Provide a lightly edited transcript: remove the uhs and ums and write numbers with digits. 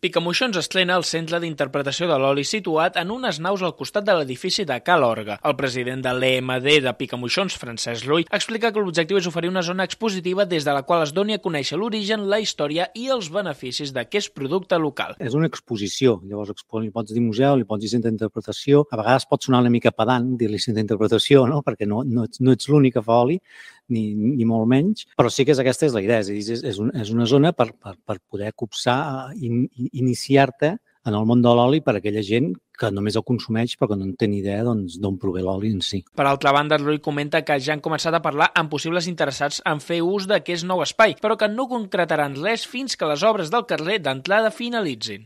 Picamoixons estrena el centre d'interpretació de l'oli situat en unes naus al costat de l'edifici de Cal Orga. El president de l'EMD de Picamoixons, Francesc Rull, explica que l'objectiu és oferir una zona expositiva des de la qual es doni a conèixer l'origen, la història i els beneficis d'aquest producte local. És una exposició, llavors li pots dir museu, li pots dir centre d'interpretació. A vegades pot sonar una mica pedant dir-li centre d'interpretació, no? Perquè no ets l'únic que fa oli, ni molt menys, però sí que aquesta és la idea, és una zona per poder copsar i iniciar-te en el món de l'oli per a aquella gent que només el consumeix però que no en té ni idea d'on prové l'oli en si. Per altra banda, Rull comenta que ja han començat a parlar amb possibles interessats en fer ús d'aquest nou espai, però que no concretaran res fins que les obres del carrer d'entrada finalitzin.